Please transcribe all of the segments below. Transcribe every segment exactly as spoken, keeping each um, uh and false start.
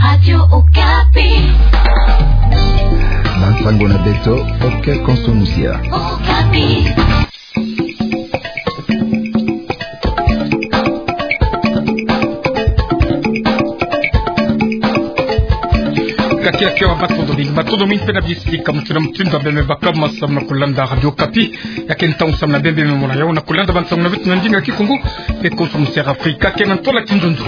Radio Okapi. Bansango na beto, oke konso musia. Okapi. Kati ya kiwa matondo mingi, matondo mingi mpe na bisika mutindu na mutindu, beno me baka masamu na kulanda Radio Okapi. Ya ke ntangu samu na beno me mona yawu na kulanda bansango na beto na ndinga Kikongo mpe konso musia Afrika, ke na ntwala Kinzonzi.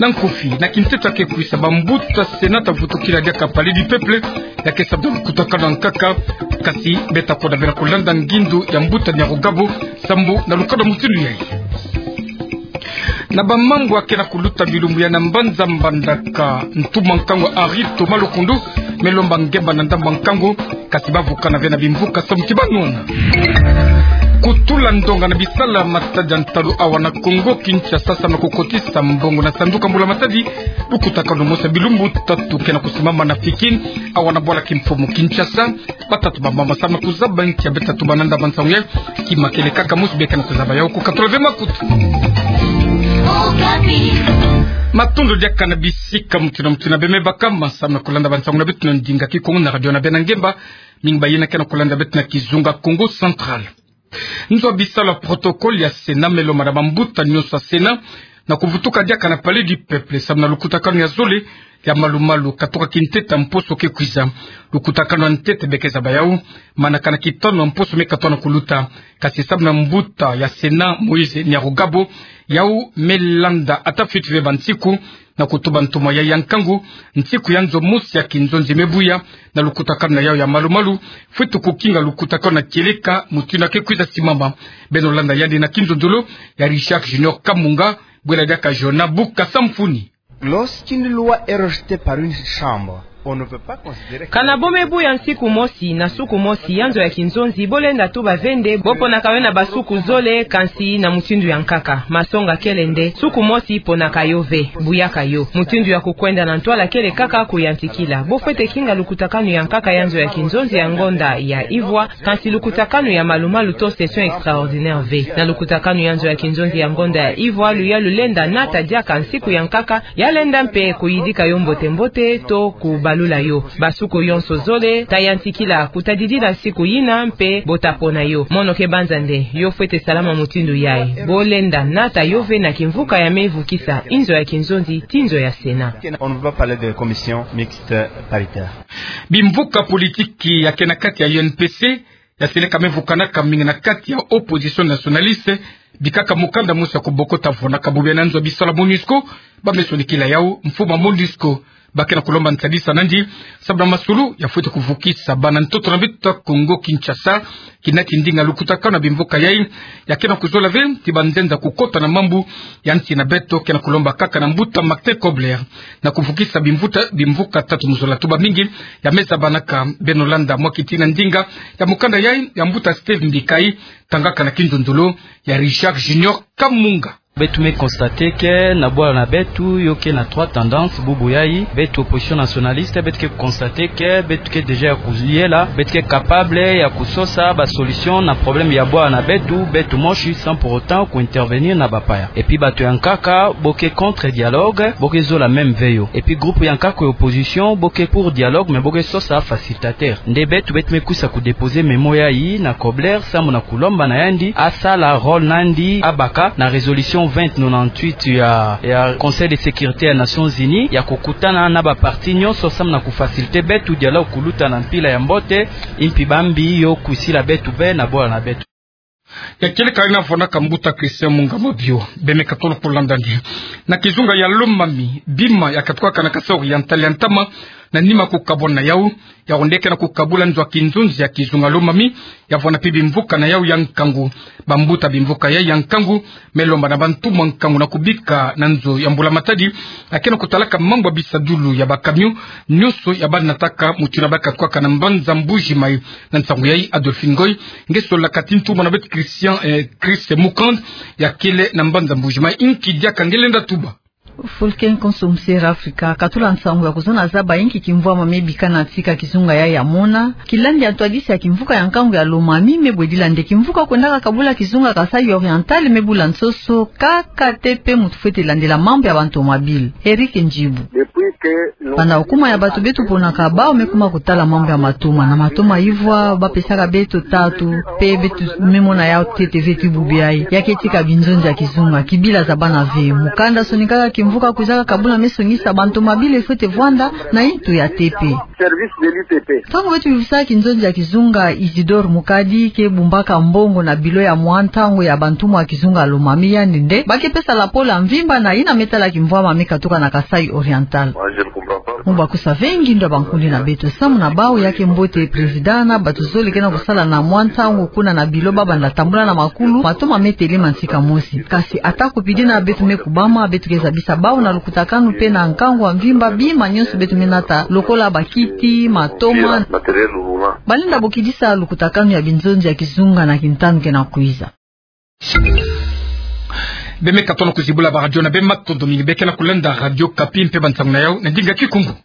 Na nkufi, na kinteto ya ke kwisa, bambuta Sénat ta vutukila diaka Palais du Peuple, ya ke samu na lukutakanu ya nkaka, kasi beta koda bena kulanda ngindu ya mbuta Niarugabo, sambu na lukada mutindu yayi. Na bamambu ya ke na kuluta bilumbu yayi na mbanza Mbandaka, ntumwa nkangu Henri Thomas Lokondo me lomba ngemba na ndambu ya nkangu, kasi bavukana ve na bimvuka samu ti banwana. Kutula ndonga na bisala matadi ya ntalu awa na Kongo Kinshasa samu na kukotisa mbongo na sanduku ya mbula matadi, lukutakanu mosi ya bilumbu tatu ke na kusimama na Fikin, awa na bwala kimfumu Kinshasa. Batatu bamama samu na kuzaba nki ya beta tuba na ndambu ya nsangu yayi. Kima kele kaka mosi beka na kuzaba yawu, kukatula ve makutu. Matondo diaka na bisika mutindu na mutindu beno me baka masamu na kulanda bansango na beto na ndinga Kikongo na radio na beno ya ngemba. Mingi bayina ke na kulanda beto na kizunga Kongo Central. Nzo ya bisalu ya protocole ya Sénat me lomba na bambuta nyonso ya Sénat na kuvutuka diaka na Palais du Peuple samu na lukutakanu ya zole ya malumalu katuka kintete ya mposo ke kwiza. Lukutakanu ya ntete beka zaba yawu manaka na kitanu ya mposo me katoka na kuluta. Kasi samu na mbuta ya Sénat Moïse Niarugabo, yawu me landa ata fwiti ve bansiku, na kutuba ntumwa yayi ya nkangu, nsiku ya nzo mosi ya kinzonzi me buya, na lukutakanu na yawu ya malumalu fwiti kukinga lukutakanu na kieleka mutindu ya ke kwiza simama. Beno landa yandi na kinzonzolo ya Richard Junior Kamunga, bwela diaka Jona Buka Samfuni. Lorsqu'une loi est rejetée par une chambre, on ne peut pas considérer que... Kana bo me buya nsiku mosi na suku mosi ya nzo ya kinzonzi, bo lenda tuba ve nde bo ponaka yo na basuku zole, kansi na mutindu ya nkaka. Masonga kele nde suku mosi ponaka yo ve, buyaka yo. Mutindu ya kukwenda na ntwala kele kaka kuyantikila. Bo fwete kinga lukutakanu ya nkaka ya nzo ya kinzonzi ya ngonda ya ivwa, kansi lukutakanu ya malumalu to session extraordinaire ve. Na lukutakanu ya nzo ya kinzonzi ya ngonda ya ivwa, luyalu lenda nata diaka nsiku ya nkaka, ya lenda mpe kuyidika yo mbote-mbote to kubalula yo. Basuku yonso zole ta yantikila kutadidila nsiku yina mpe bo ta pona yo. Mono ke banza nde yo fwete salama mutindu yayi. Bo lenda nata yo ve na kimvuka ya me vukisa inzo ya kinzonzi ti nzo ya Sénat. On ne peut pas parler de commission mixte paritaire. Bimvuka politiki ya ke na kati ya U N P C, ya seleka me vukanaka mingi na kati ya opposition nationaliste, bikaka mukanda mosi ya kubokota vwonaka bobia na nzo ya bisalu ya MONUSCO. Ba me sonikila yawu mfumu ya MONUSCO. Ba ke na kulomba nsadisa nandi, sababu na masulu ya fwete kuvukisa bana ntoto na beto ya Congo Kinshasa, kina ki ndinga lukutakanu na bimvuka yayi, ya ke na kuzola ve ti banzenza kukota na mambu ya nsi na beto. Ke na kulomba kaka na mbuta Martin Kobler na kuvukisa bimvuta, bimvuka tatu mu zola tuba mingi ya me zabanaka. Beno landa mwa kitina ndinga ya mukanda yayi ya mbuta Steve Mbikayi, tangaka na kinzonzolo ya Richard Junior Kamunga. Beto me constater que na bwala na beto yo ke na trois tendances bubu yayi. Beto opposition nationaliste, beto ke constater que beto ke déjà ya kuyela, beto ke capable ya kusosa ba solution na problème ya bwala na beto, beto mosi, sans pour autant ku intervenir na bapaya. Et puis bato ya nkaka bo ke contre dialogue, bo ke zola même ve yo. Et puis groupe ya nkaka ya opposition bo ke pour dialogue, mais bo ke sosa facilitateur. Nde beto, beto me kwisa ku déposer mémo yayi na Kobler, samu na kulomba na yandi asala rôle na yandi, abaka na résolution vingt nonante-huit ya, ya Conseil de sécurité ya Nations Unies, ya kukutana na ba parti nyonso samu na ku faciliter beto dialogue kuluta na mpila ya mbote, impi bambi yo kwisila beto ve na bwala na beto. Ya kieleka ina vwandaka mbuta Christian Mungama bio. Beno me katolo kulanda nde na kizunga ya Lomami, bima ya katukaka na Kasaï Oriental ya ntama, na nima kukabwana yawu, yawu nde ke na kukabula nzo ya kinzonzi ya kizunga Lomami, ya vwanda mpe bimvuka na yawu ya nkangu. Bambuta bimvuka yayi ya nkangu me lomba na bantumwa nkangu na kubika na nzo ya mbula matadi, ya ke na kutalaka mambu ya bisadulu ya ba camion nyonso ya ba nataka mutindu ya ba katukaka na mbanza Mbuji-Mayi. Na nsangu yayi, Adolphine Ngoy, nge solaka ti ntumwa na beto Christian, eh, Chris Mukand, ya kele na mbanza Mbuji-Mayi, inki diaka nge lenda tuba. Fulken konso msera Afrika, katula nsangu ya kuzona zaba inki kimvwama mebika na tika kizunga ya ya mona, kilandi ya ntwadisi ya kimvuka ya nkangu ya Lomami mebwedila nde kimvuka kwendaka kabula kizunga Kasaï Oriental mebula nsoso, kaka te pe mutu fwete landela mambu ya bantomabili. Eric Ndjibu. Banda okuma ya bato beto ponaka bawu mekuma kutala mambu ya matoma. Na matoma ivwa, bapesaka beto tatu, pe beto memona yawu ntete ve ti bubu yayi. Ya ke tika binzonzi ya kizunga, kibila za bana ve. Mukanda sonikaka kimvuka kwizaka kabula me songisa bantomabili fwete vwanda na intu ya T P. Service de l'U T P. Ntangu beto yuvisa kinzonzi ya kizunga Isidore Mukadi ke bumbaka mbongo na bilo ya mwa ntangu ya bantumwa ya kizunga Lomami, yandi nde ba ke pesa lapolo ya mvimba na yina me tala kimvwama me katuka na Kasaï Oriental. Mu bakusa ve ngindo ya bankundi na beto, samu na bawu ya ke mbote président na bato zole ke na kusala na mwa ntangu kuna na bilo ba banda tambula na makulu matoma me telema nsika mosi. Kasi atako pidina beto me kubama, beto ke zabisa bawu na lukutakanu pe na nkangu ya mvimba bima nyonso beto me nata, lokola bakiti, matoma. Balenda bokidisa lukutakanu ya binzonzi ya kizunga na kintanu ke na kwiza. Beno me katono kuzibula ba radio na beno, matondo mingi. Beno ke na kulanda Radio Okapi mpe bansangu na yawu na ndinga Kikongo.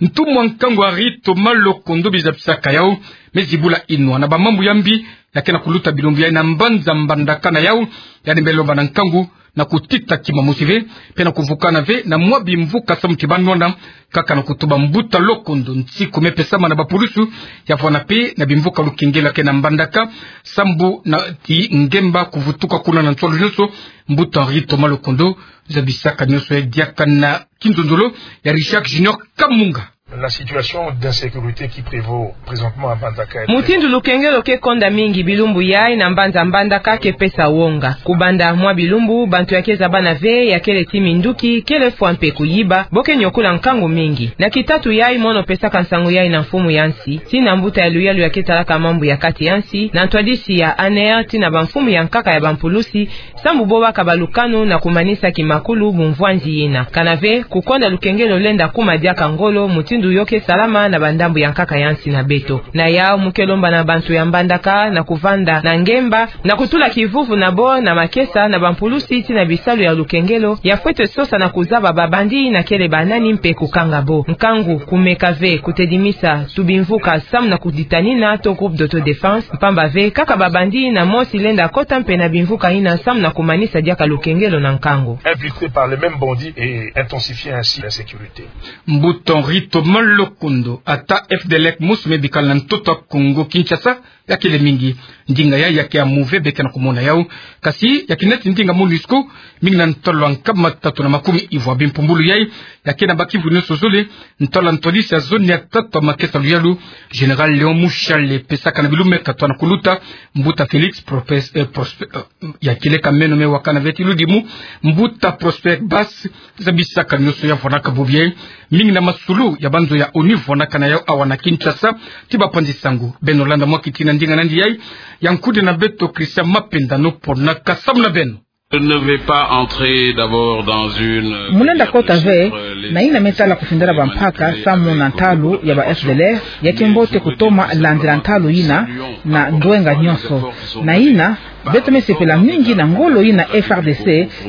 Ntumwa nkangu Henri Thomas Lokondo, bizabisaka yawu, me zibula inwa na bamambu ya mbi ya ke na kuluta bilumbu yayi na mbanza Mbandaka na yawu, yandi me lomba na nkangu na kutita kima mosi ve, mpe na kuvukana ve na mwa bimvuka samu ti ba nwana, kaka na kutuba. Mbuta Lokondo, nsiku me pesama na bapulusu ya vwanda mpe na bimvuka lukengelo ya ke na Mbandaka, sambu na ti ngemba kuvutuka kuna na nswalu nyonso. Mbuta Henri Thomas Lokondo, zabisaka nyonso yayi diaka na kinzonzolo ya Richard Junior Kamunga. La situation d'insécurité qui prévaut présentement à Mbandaka est très... Mutindu lukengelo ke konda mingi bilumbu yayi na mbanza Mbandaka ke pesa wonga. Kubanda mwa bilumbu, bantu ya ke zabana ve, ya kele ti minduki, kele fwa mpe kuyiba, bo ke nyokula nkangu mingi. Na kitatu yayi mono pesaka nsangu yayi na mfumu ya nsi, tii na mbuta ya luyalu ya ke talaka mambu ya kati ya nsi, na ntwadisi ya ANR, tii na bamfumu ya nkaka ya bampulusi, sambu bo baka balukanu na kumanisa kimakulu bumvwanzi yina. Kana ve, kukonda lukengelo lenda kuma diaka ngolo, mutindu yo ke salama na bandambu ya nkaka ya nsi na beto. Na yawu mu ke lomba na bantu ya Mbandaka na kuvanda na ngemba, na kutula kivuvu na bo na makesa na bampulusi tii na bisalu ya lukengelo, ya fwete sosa na kuzaba babandi na kele banani mpe kukanga bo. Nkangu kumeka ve kutedimisa tubimvuka samu na kuditanina to groupe d'autodéfense, mpamba ve kaka babandi na mosi lenda kota mpe na bimvuka yina samu na kumanisa diaka lukengelo na nkangu. Infiltrés par les mêmes bandits et intensifier ainsi l'insécurité. Mbuta Henri Thomas Lokondo, ata FDLR mosi me bikala na ntoto ya Kongo Kinshasa, ya kele mingi. Ndinga yayi ya ke ya move, beno ke na kumona yawu. Kasi ya ke neti ndinga MONUSCO, mingi na ntalu ya nkama tatu na makumi ivwa bimpumbulu yayi, ya ke na bakivu nyonso zole, ntalu ya ntwadisi ya zone ya tatu ya makesa luyalu, Général Léon Mushale, pesaka na bilumbu me katoa na kuluta, mbuta Félix Propes-, eh, Prospe-, eh, ya kieleka meno me wakana ve ti ludimu, mbuta Prosper Bas, zabisaka nyonso ya vwanaka bobo yayi, mingi na masulu ya banzo ya ONU vwanaka na yawu awa na Kinshasa, ti bapanzi sango. Beno landa mwa kiti na ndinga nandi yayi, ya nkudi na beto Christian Mapenda no ponaka samu na beno. Je ne vais pas entrer d'abord dans une... Mu lenda kota ve na yina me tala kufindala bampaka samu na ntalu ya ba FDLR, ya ke mbote kutoma landila ntalu yina na ndwenga nyonso. Na yina, beto me sepela mingi na ngolo yina FARDC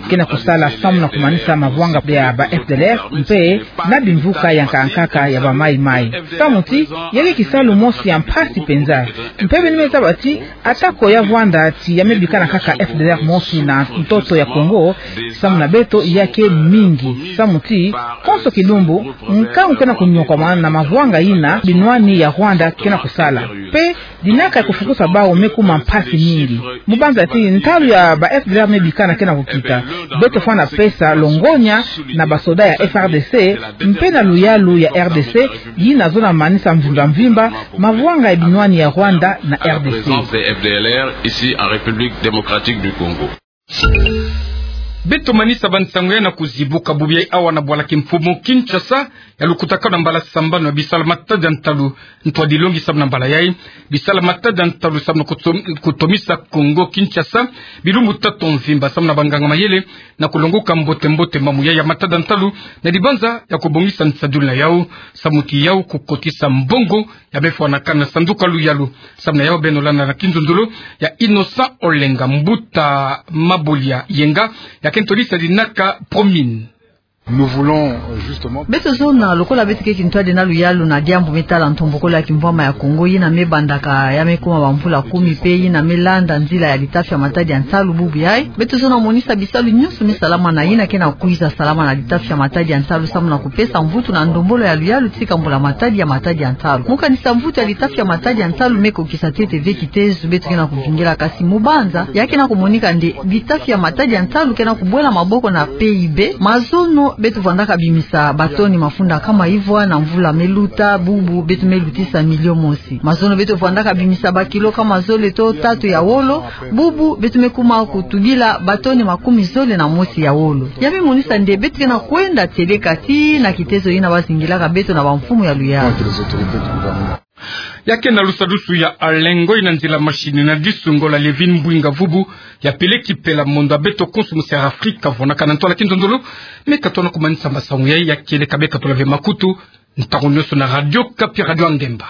ke na kusala samu na kumanisa mavwanga ya ba FDLR, mpe na bimvuka ya nkaka nkaka ya ba Mai Mai. Samu ti, ya ke kisalu mosi ya mpasi penza. Mpe beno me zaba ti, atako ya vwanda ti ya me bikana kaka FDLR mosi na ntoto ya Kongo, samu na beto ya ke mingi. Samu ti, konso kilumbu, nkangu ke na kunyokwama na mavwanga yina binwani ya Rwanda ke na kusala. Mpe dinaka ya kufukusa bawu me kuma mpasi mingi. Mu banza ti ntalu ya ba FDLR me bikana ke na kukita, beto fwana pesa longonya na basoda ya FARDC, mpe na luyalu ya RDC, yina zona manisa mvimba mvimba mavwanga ya binwani ya Rwanda na RDC. La présence des FDLR ici en République démocratique du Congo. Beto manisa bansango ya na kuzibuka bobo yayi awa na bwala kimfumu Kinshasa, ya lukutakanu na mbala sambanu ya bisala matadi ya ntalu. Ntwadi longi samu na mbala yayi, bisala matadi ya ntalu samu na kutom-, kutomisa Kongo Kinshasa bilumbu tatu mvimba samu na banganga mayele na kulonguka mbote mbote mambu yayi ya matadi ya ntalu, na dibanza ya kubongisa nsadulu na yawu, samu ti yawu kukotisa mbongo ya me fwanakana na sanduku ya luyalu. Samu na yawu beno landa na kinzonzolo ya Innocent Olenga, mbuta Mabolia Yenga, ya ke ntwadisi ya dinaka Promine. Nous voulons, euh, justement. Beto zona, lokola beto keke ntwadi na luyalu na diambu me tala ntombokolo ya kimvwama ya Kongo, yina me bandaka ya me kuma bamvula kumi pe yina me landa nzila ya litafi ya matadi ya nsalu bubu yayi. Beto zona monisa bisalu nyonso me salama na yina ke na kwiza salama na litafi ya matadi ya nsalu samu na kupesa mvutu na ndombolo ya luyalu tika mbula matadi ya matadi ya nsalu. Mu kanisa mvutu ya litafi ya matadi ya nsalu me kokisa ntete ve kitezo beto ke na kuvingila, kasi mu banza ya ke na kumonika nde litafi ya matadi ya nsalu ke na kubwela maboko na P I B. Mazono beto vwandaka bimisa batoni mafunda kama ivwa na mvula me luta, bubu beto me lutisa milio mosi. Mazono beto vwandaka bimisa bakilo kama zole to tatu ya wolo, bubu beto me kuma kutubila batoni makumi zole na mosi ya wolo. Ya me monisa nde beto ke na kwenda teleka tii na kitezo yina bazingilaka beto na bamfumu ya luyalu. Ya ke na lusadusu ya Alengo, ina nzila masini na disungo la Levin Mbwinga Vubu, ya peleki pela mondo ya beto konso mu Sierra Afrika, vwandaka na ntwala kinzonzolo, me katona kumanisa masamu yayi, ya kieleka be katula ve makutu, ntangu nyonso na Radio Okapi, Radio ya Ngemba.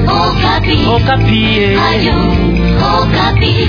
Okapi. Okapi, eh. Radio Okapi.